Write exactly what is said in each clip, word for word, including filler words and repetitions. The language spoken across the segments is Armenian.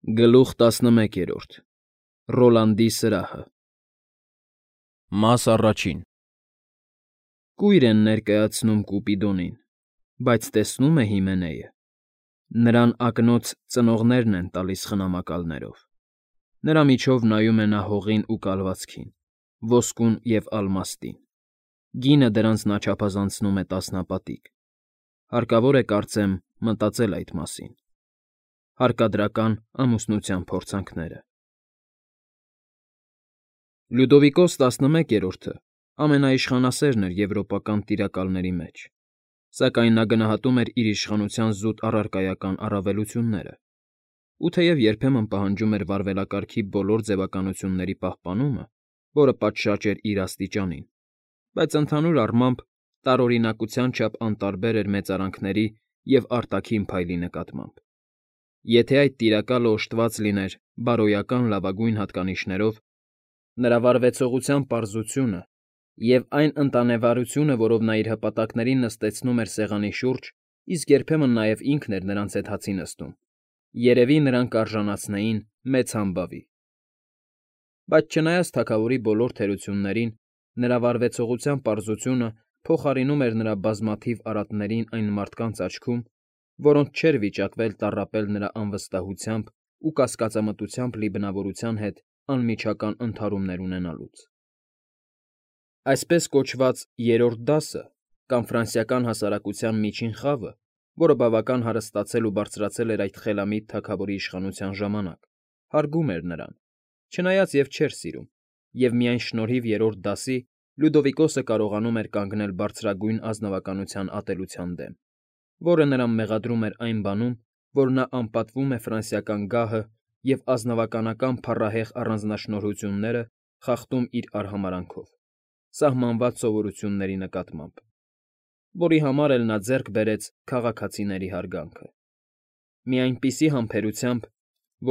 Գլուխ տասնմեկերորդ Ռոլանդի սրահը Մաս առաջին Կույր են ներկայացնում Կուպիդոնին, բայց տեսնո՞ւմ է Հիմենեը. նրան ակնոց ծնողներն են տալիս խնամակալներով, նրա միջով նայում է նա հողին ու կալվածքին, ոսկուն և ալմաստին, գինը դրանց նա չափազանցնում է տասնապատիկ, հարկավոր է, կարծեմ, մտածել այդ մասին. Հարկադրական ամուսնության փորձանքները Լյուդովիկոս տասնմեկերորդը ամենաիշխանասերն էր եվրոպական տիրակալների մեջ, սակայն նա գնահատում էր իր իշխանության զուտ առարկայական առավելությունները, ու թեև երբեմն պահանջում էր վարվելակարգի բոլոր ձևականությունների պահպանումը, որը պատշաճ էր իր աստիճանին, բայց ընդհանուր առմամբ տարօրինակության չափ անտարբեր էր մեծարանքների և արտաքին փայլի նկատմամբ. Եթե այդ տիրակալը օժտված լիներ բարոյական լավագույն հատկանիշներով, նրա վարվեցողության պարզությունը և այն ընտանեվարությունը, որով նա իր հպատակներին նստեցնում էր սեղանի շուրջ, իսկ երբեմն նաև ինքն էր նրանց հետ հացի նստում, երևի նրան կարժանացնեին մեծ համբավի. Բայց չնայած թագավորի բոլոր թերություններին, նրա վարվեցողության պարզությունը փոխարինում էր նրա բազմաթիվ արատներին այն մարդկանց աչքում, որոնց չէր վիճակվել տառապել նրա անվստահությամբ ու կասկածամտությամբ լի բնավորության հետ անմիջական ընդհարումներ ունենալուց։ Այսպես կոչված երրորդ դասը կամ ֆրանսիական հասարակության միջին խավը, որը բավական հարստացել ու բարձրացել էր այդ խելամիտ թագավորի իշխանության ժամանակ, հարգում էր նրան, չնայած և չէր սիրում, և միայն շնորհիվ երրորդ դասի Լյուդովիկոսը կարողանում էր կանգնել բարձրագույն ազնվականության ատելության դեմ, որը նրան մեղադրում էր այն բանում, որ նա անպատվում է ֆրանսիական գահը և ազնվականական փառահեղ առանձնաշնորհությունները խախտում իր արհամարհանքով, սահմանված սովորույթների նկատմամբ, որի համար էլ նա ձեռք բերեց քաղաքացիների հարգանքը, մի այնպիսի համբերությամբ,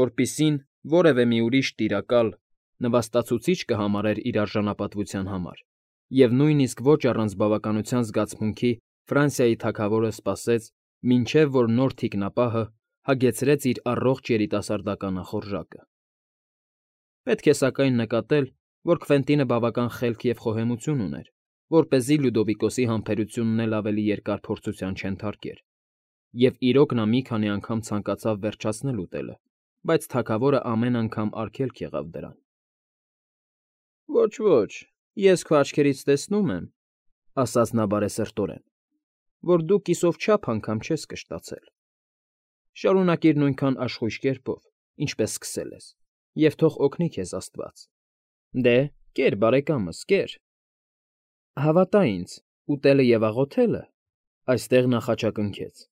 որպիսին որևէ մի ուրիշ տիրակալ նվաստացուցիչ կհամարեր իր արժանապատվության համար, և նույնիսկ ոչ առանց բավականության զգացմունքի Ֆրանսիայի թագավորը սպասեց, մինչև որ նոր թիկնապահը հագեցրեց իր առողջ երիտասարդական ախորժակը։ Պետք է սակայն նկատել, որ Քվենտինը բավական խելք և խոհեմություն ուներ, որպեսզի Լյուդովիկոսի համբերությունն էլ ավելի երկար փորձության չենթարկեր, և իրոք նա մի քանի անգամ ցանկացավ վերջացնել ուտելը, բայց թագավորը ամեն անգամ արգելք եղավ դրան։ ֊ Ոչ, ոչ, ես քո աչքերից տեսնում եմ, ֊ ասաց նա բարեսրտորեն, ֊ որ դու կիսով չափ անգամ չես կշտացել։ Շարունակիր նույնքան աշխույժ կերպով, ինչպես սկսել ես, և թող օգնի քեզ աստված։ Դե, կեր, բարեկամս, կեր։ Հավատա ինձ, ուտելը և աղոթելը (այստեղ նա խաչակնքեց)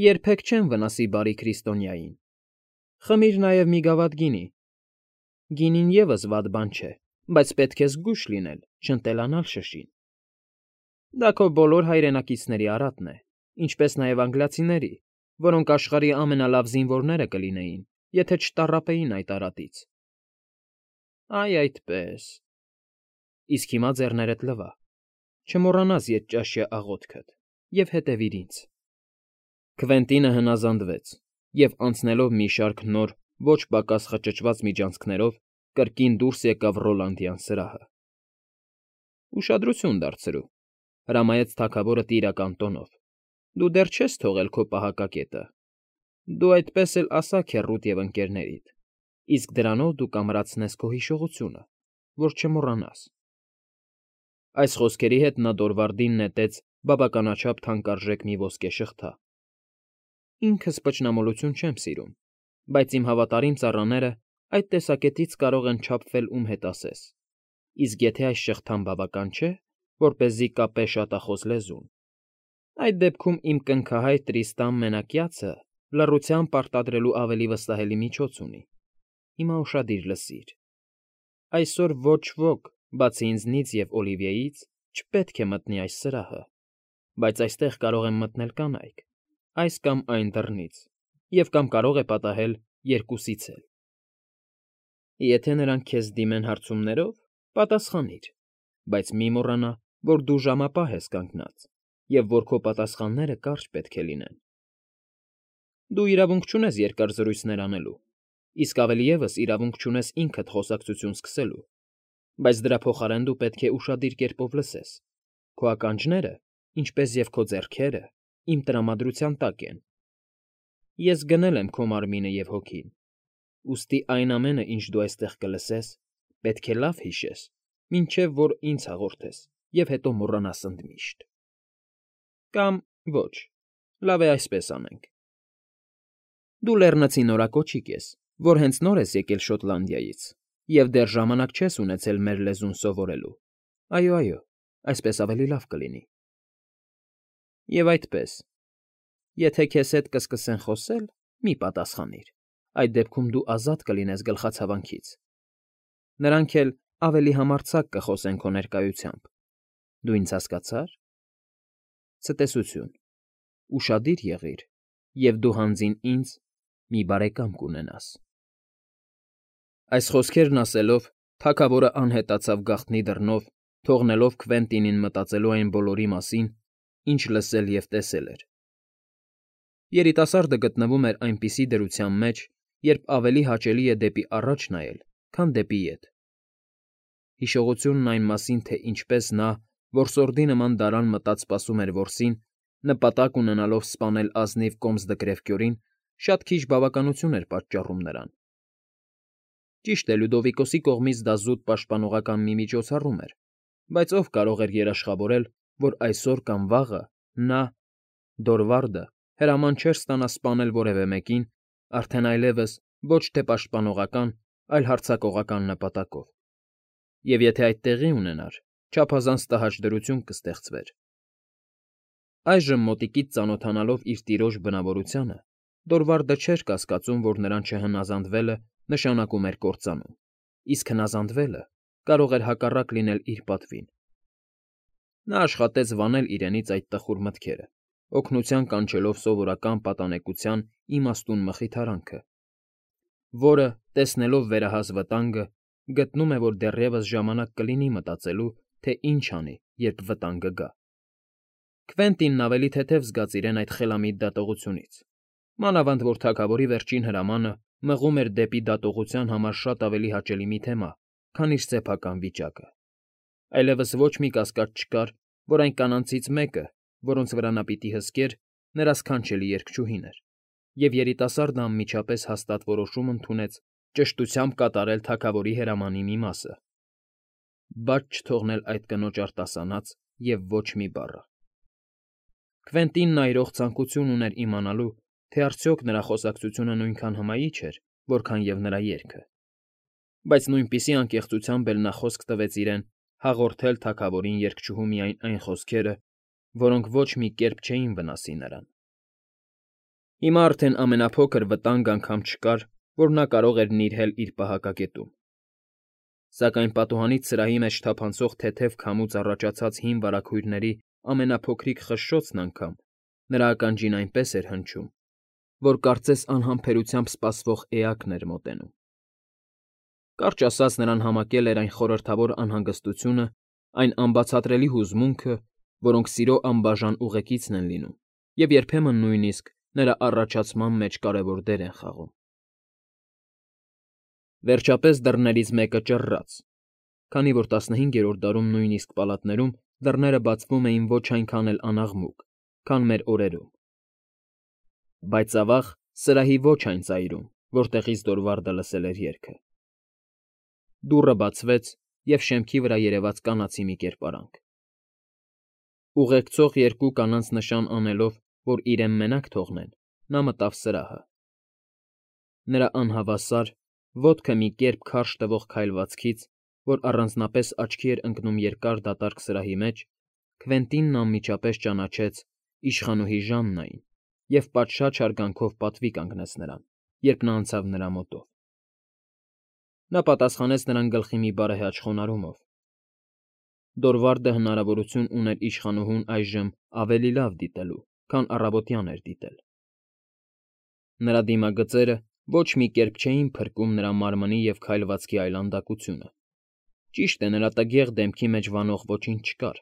երբեք չեն վնասի բարի քրիստոնյային։ Խմիր նաև մի գավաթ գինի. գինին ևս վատ բան չէ, բայց պետք է զգույշ լինել, չընտելանալ շշին։ Դա քո բոլոր հայրենակիցների արատն է, ինչպես նաև անգլիացիների, որոնք աշխարհի ամենալավ զինվորները կլինեին, եթե չտառապեին այդ արատից։ Այ այդպես… Իսկ հիմա ձեռներդ լվա, չմոռանաս ետճաշյա աղոթքդ և հետևիր ինձ։ Քվենտինը հնազանդվեց և, անցնելով մի շարք նոր, ոչ պակաս խճճված միջանցքներով, կրկին դուրս եկավ Ռոլանդյան սրահը։ Ուշադրություն դարձրու, ֊ հրամայեց թագավորը տիրական տոնով, ֊ դու դեռ չես թողել քո պահակակետը, դու այդպես էլ ասա քեռուդ և ընկերներիդ, իսկ դրանով դու կամրացնես քո հիշողությունը, որ չմոռանաս։ Այս խոսքերի հետ նա դորվարդին նետեց բավականաչափ թանկարժեք մի ոսկե շղթա։ Ինքս պճնամոլություն չեմ սիրում, բայց իմ հավատարիմ ծառաները այդ տեսակետից կարող են չափվել ում հետ ասես, իսկ եթե այս շղթան բավական չէ, որպեսզի կապե շատախոս լեզուն, այդ դեպքում իմ կնքահայր Տրիստան Մենակյացը լռությամբ պարտադրելու ավելի վստահելի միջոց ունի։ Հիմա ուշադիր լսիր. այսօր ոչ ոք, բացի ինձնից և Օլիվիեից, չպետք է մտնի այս սրահը, բայց այստեղ կարող են մտնել կանայք, այս կամ այն դռնից, և կամ կարող է պատահել երկուսից էլ։ Եթե նրանք քեզ դիմեն հարցումներով, պատասխանիր, բայց մի մոռանա, որ դու ժամապահ ես կանգնած, և որ քո պատասխանները կարճ պետք է լինեն։ Դու իրավունք չունես երկար զրույցներ անելու, իսկ ավելի ևս իրավունք չունես ինքդ խոսակցություն սկսելու, բայց դրա փոխարեն դու պետք է ուշադիր կերպով լսես. քո ականջները, ինչպես և քո ձեռքերը, իմ տրամադրության տակ են. ես գնել եմ քո մարմինը և հոգին, ուստի այն ամենը, ինչ դու այստեղ կլսես, պետք է լավ հիշես, մինչև որ ինձ հաղորդես և հետո մոռանաս ընդմիշտ։ Կամ ոչ, լավ է այսպես անենք. դու լեռնցի նորակոչիկ ես, որ հենց նոր ես եկել Շոտլանդիայից և դեռ ժամանակ չես ունեցել մեր լեզուն սովորելու, այո, այո, այսպես ավելի լավ կլինի։ Եվ այդպես, եթե քեզ հետ կսկսեն խոսել, մի պատասխանիր, այդ դեպքում դու ազատ կլինես գլխացավանքից, նրանք էլ ավելի համարձակ կխոսեն քո ներկայությամբ, դու ինձ հասկացա՞ր։ Ցտեսություն, ուշադիր եղիր, և դու հանձին ինձ մի բարեկամ կունենաս։ Այս խոսքերն ասելով, թագավորը անհետացավ գաղտնի դռնով, թողնելով Քվենտինին մտածելու այն բոլորի մասին, ինչ լսել և տեսել էր։ Երիտասարդը գտնվում էր այնպիսի դրության մեջ, երբ ավելի հաճելի է դեպի առաջ նայել, քան դեպի ետ։ Հիշողությունն այն մասին, թե ինչպես նա, որսորդի նման դարան մտած սպասում էր որսին, նպատակ ունենալով սպանել ազնիվ կոմսդկրեվկյորին, շատ քիչ բավականություն էր պատճառում նրան։ Ճիշտ է, Լյուդովիկոսի կողմից դա զուտ պաշտպանողական մի միջոցառում էր, բայց ով կարող էր երաշխավորել, որ այսօր կամ վաղը նա, Դորվարդը, հրաման չէր ստանա սպանել որևէ մեկին, արդեն այլևս ոչ թե պաշտպանողական, այլ հարձակողական նպատակով։ Եվ եթե այդ տեղի ունենար, չափազանց տհաճ դրություն կստեղծվեր։ Այժմ մոտիկից ծանոթանալով իր տիրոջ բնավորությանը, Դորվարդը չէր կասկածում, որ նրան չհնազանդվելը նշանակում էր կործանում, իսկ հնազանդվելը կարող էր հակառակ լինել իր պատվին։ Նա աշխատեց վանել իրենից այդ տխուր մտքերը, օգնության կանչելով սովորական պատանեկության իմաստուն մխիթարանքը, որը, տեսնելով վերահաս վտանգը, գտնում է, որ դեռևս ժամանակ կլինի մտածելու, թե ինչ անի, երբ վտանգը գա։ Քվենտինն ավելի թեթև զգաց իրեն այդ խելամիտ դատողությունից, մանավանդ որ թագավորի վերջին հրամանը մղում էր դեպի դատողության համար շատ ավելի հաճելի մի թեմա, քան իր սեփական վիճակը։ Այլևս ոչ մի կասկած չկար, որ այն կանանցից մեկը, որոնց վրա նա պիտի հսկեր, նրա սքանչելի երգչուհին էր, և երիտասարդը անմիջապես հաստատ որոշում ընդունեց ճշտությամբ կատարել թագավորի հրամանի մի մասը, բայց չթողնել այդ կնոջ արտասանած և ոչ մի բառը։ Քվենտինն այրող ցանկություն ուներ իմանալու, թե արդյոք նրա խոսակցությունը նույնքան հմայիչ էր, որքան և նրա երգը, բայց նույնպիսի անկեղծությամբ էլ նա խոսք տվեց իրեն հաղորդել թագավորին երգչուհու միայն այն խոսքերը, որոնք ոչ մի կերպ չէին վնասի նրան։ Հիմա արդեն ամենափոքր վտանգ անգամ չկար, որ նա կարող էր նիրհել իր պահակակետում։ Սակայն պատուհանից սրահի մեջ թափանցող թեթև քամուց առաջացած հին վարագույրների ամենափոքրիկ խշշոցն անգամ նրա ականջին այնպես էր հնչում, որ կարծես անհամբերությամբ սպասվող էակն էր մոտենում։ Կարճ ասած, նրան համակել էր այն խորհրդավոր անհանգստությունը, այն անբացատրելի հուզմունքը, որոնք սիրո անբաժան ուղեկիցն են լինում և երբեմն նույնիսկ նրա առաջացման մեջ կարևոր դեր են խաղում։ Վերջապես դռներից մեկը ճռռաց, քանի որ տասնհինգերորդ դարում նույնիսկ պալատներում դռները բացվում էին ոչ այնքան էլ անաղմուկ, քան մեր օրերում։ Բայց ավաղ, սրահի ոչ այն ծայրում, որտեղից Դորվարդը լսել էր երգը։ Դուռը բացվեց, և շեմքի վրա երևաց կանացի մի կերպարանք։ Ուղեկցող երկու կանանց նշան անելով, որ իրեն մենակ թողնեն, նա մտավ սրահը։ Նրա անհավասար, ոտքը մի կերպ քարշ տվող քայլվածքից, որ առանձնապես աչքի էր ընկնում երկար դատարկ սրահի մեջ, Քվենտինն անմիջապես ճանաչեց իշխանուհի Ժաննային և պատշաճ հարգանքով պատվի կանգնեց նրան, երբ նա անցավ նրա մոտով։ Նա պատասխանեց նրան գլխի մի բարեհաճ խոնարհումով։ Դորվարդը հնարավորություն ուներ իշխանուհուն այժմ ավելի լավ դիտելու, քան առավոտյան էր դիտել։ Նրա դիմագծերը ոչ մի կերպ չէին փրկում նրա մարմնի և քայլվածքի այլանդակությունը։ Ճիշտ է, նրա տգեղ դեմքի մեջ վանող ոչինչ չկար,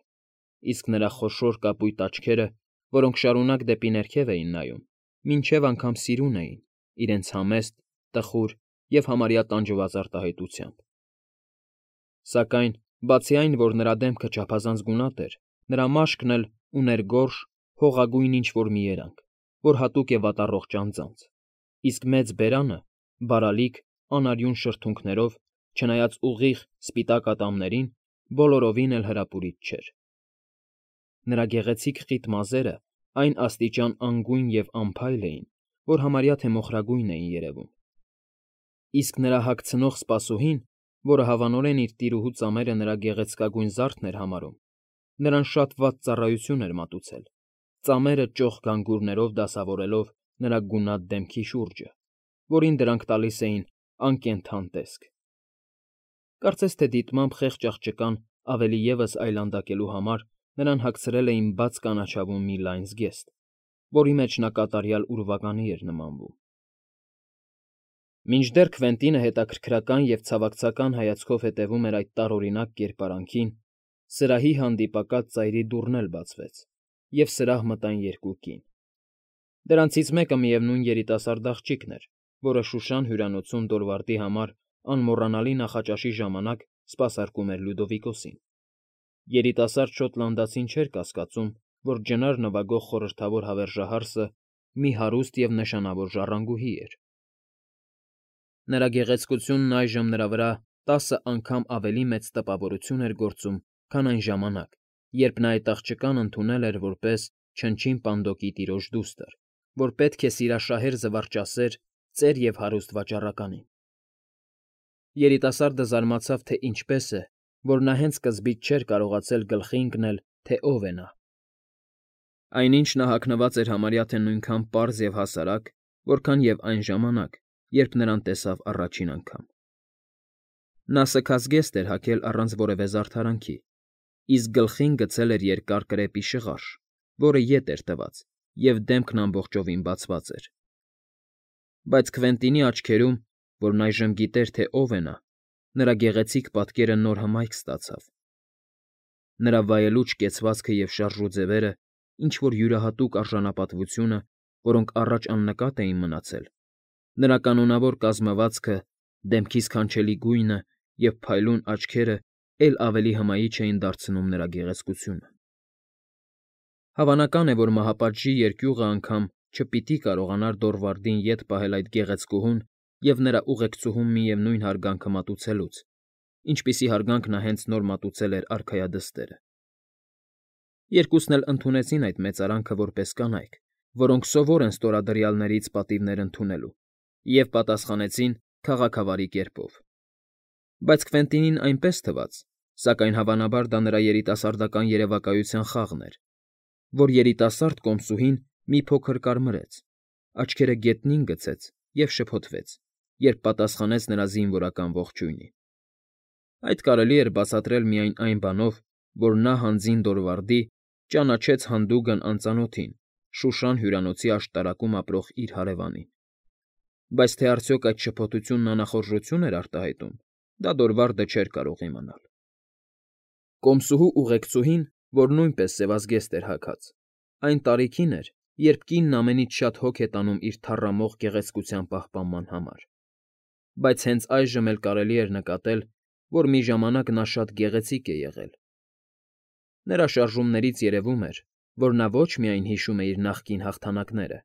իսկ նրա խոշոր կապույտ աչքերը, որոնք շարունակ դեպի ներքև էին նայում, մինչև անգամ սիրուն էին, իրենց համեստ, տխուր և համարյա տանջված արտահայտությամբ։ Սակայն, բացի այն, որ նրա դեմքը չափազանց գունատ էր, նրա մաշկն էլ ուներ գորշ, հողագույն ինչ֊որ մի երանգ, որ հատուկ է վատառողջ անձանց, իսկ մեծ բերանը, բարալիկ, անարյուն շրթունքներով, չնայած ուղիղ, սպիտակ ատամներին, բոլորովին էլ հրապուրիչ չէր։ Նրա գեղեցիկ խիտ մազերը այն աստիճան անգույն և անփայլ էին, որ համարյա թե մոխրագույն էին երևում, իսկ նրա հագցնող սպասուհին, որը հավանորեն իր տիրուհու ծամերը նրա գեղեցկագույն զարդն էր համարում, նրան շատ վատ ծառայություն էր մատուցել, ծամերը ճոխ գանգուրներով դասավորելով նրա գունատ դեմքի շուրջը, որին դրանք տալիս էին անկենդան տեսք։ Կարծես թե դիտմամբ խեղճ աղջկան ավելի ևս այլանդակելու համար նրան հագցրել էին բաց կանաչավուն մի լայն զգեստ, որի մեջ նա կատարյալ ուրվականի էր նմանվում։ Մինչդեռ Քվենտինը հետաքրքրական և ցավակցական հայացքով հետևում էր այդ տարօրինակ կերպարանքին, սրահի հանդիպակաց ծայրի դուռն էլ բացվեց, և սրահ մտան երկու կին։ Դրանցից մեկը միևնույն երիտասարդ աղջիկն էր, որը Շուշան հյուրանոցում Դորվարդի համար անմոռանալի նախաճաշի ժամանակ սպասարկում էր Լյուդովիկոսին։ Երիտասարդ շոտլանդացին չէր կասկածում, որ ջնար նվագող խորհրդավոր հավերժահարսը մի հարուստ և նշանավոր ժառանգուհի էր։ Նրա գեղեցկությունն այժմ նրա վրա տասը անգամ ավելի մեծ տպավորություն էր գործում, քան այն ժամանակ, երբ նա այդ աղջկան ընդունել էր որպես չնչին պանդոկի տիրոջ դուստր, որ պետք է սիրաշահեր զվարճասեր, ծեր և հարուստ վաճառականին։ Երիտասարդը զարմացավ, թե ինչպես է, որ նա հենց սկզբից չէր կարողացել գլխի ընկնել, թե ով է նա։ Այնինչ նա հագնված էր համարյա թե նույնքան պարզ և հասարակ, որքան և այն ժամանակ, երբ նրան տեսավ առաջին անգամ։ Նա սգած զգեստ էր հագել առանց որևէ զարդարանքի, իսկ գլխին գցել էր երկար կրեպի շղարշ, որը ետ էր տված, և դեմքն ամբողջովին բացված էր։ Բայց Քվենտինի աչքերում, որն այժմ գիտեր, թե ով է նա, նրա գեղեցիկ պատկերը նոր հմայք ստացավ։ Նրա վայելուչ կեցվածքը և շարժու ձևերը, ինչ֊որ յուրահատուկ արժանապատվությունը, որոնք առաջ աննկատ էին մնացել, նրա կանոնավոր կազմվածքը, դեմքի սքանչելի գույնը և փայլուն աչքերը էլ ավելի հմայիչ էին դարձնում նրա գեղեցկությունը։ Հավանական է, որ մահապատժի երկյուղը անգամ չպիտի կարողանար Դորվարդին ետ պահել այդ գեղեցկուհուն և նրա ուղեկցուհուն միևնույն հարգանքը մատուցելուց, ինչպիսի հարգանք նա հենց նոր մատուցել էր արքայադստերը։ Երկուսն էլ ընդունեցին այդ մեծարանքը որպես կանայք, որոնք սովոր են ստորադրյալներից պատիվներ ընդունելու, և պատասխանեցին քաղաքավարի կերպով։ Բայց Քվենտինին այնպես թվաց, սակայն հավանաբար դա նրա երիտասարդական երևակայության խաղն էր, որ երիտասարդ կոմսուհին մի փոքր կարմրեց, աչքերը գետնին գցեց և շփոթվեց, երբ պատասխանեց նրա զինվորական ողջույնին։ Այդ կարելի էր բացատրել միայն այն բանով, որ նա հանձին Դորվարդի ճանաչեց հանդուգն անծանոթին Շուշան հյուրանոցի աշտարակում ապրող իր հարևանին։ Բայց թե արդյոք այդ շփոթությունն անախորժություն էր արտահայտում, դա Դորվարդը չէր կարող իմանալ։ Կոմսուհու ուղեկցուհին, որ նույնպես սևազգեստ էր հագած, այն տարիքին էր, երբ կինն ամենից շատ հոգ է տանում իր թառամող գեղեցկության պահպանման համար։ Բայց հենց այժմ էլ կարելի էր նկատել, որ մի ժամանակ նա շատ գեղեցիկ է եղել։ Նրա շարժումներից երևում էր, որ նա ոչ միայն հիշում է իր նախկին հաղթանակները,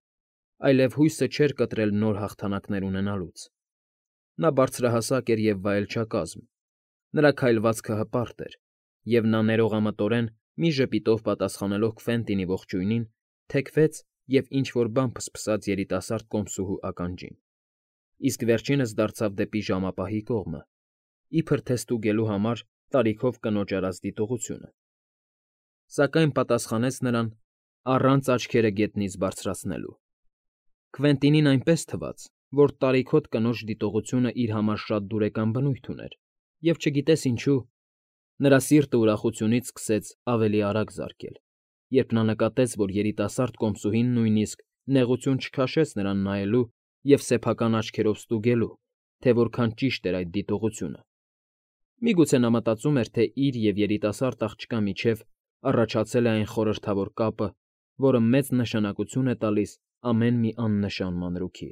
այլև հույսը չէր կտրել նոր հաղթանակներ ունենալուց։ Նա բարձրահասակ էր և վայելչակազմ, նրա քայլվածքը հպարտ էր, և նա ներողամտորեն, մի ժպիտով պատասխանելով Քվենտինի ողջույնին, թեքվեց և ինչ֊որ բան փսփսաց երիտասարդ կոմսուհու ականջին, իսկ վերջինս դարձավ դեպի ժամապահի կողմը, իբր թե ստուգելու համար տարիքով կնոջ արած դիտողությունը, սակայն պատասխանեց նրան առանց աչքերը գետնից բարձրացնելու։ Քվենտինին այնպես թվաց, որ տարիքոտ կնոջ դիտողությունն իր համար շատ դուրեկան բնույթ ուներ, և չգիտես ինչու, նրա սիրտը ուրախությունից սկսեց ավելի արագ զարկել, երբ նա նկատեց, որ երիտասարդ կոմսուհին նույնիսկ նեղություն չքաշեց նրան նայելու և սեփական աչքերով ստուգելու, թե որքան ճիշտ էր այդ դիտողությունը։ Միգուցե նա մտածում էր, թե իր և երիտասարդ աղջկա միջև առաջացել է այն խորհրդավոր կապը, որը մեծ նշանակություն է տալիս ամեն մի աննշան մանրուքի։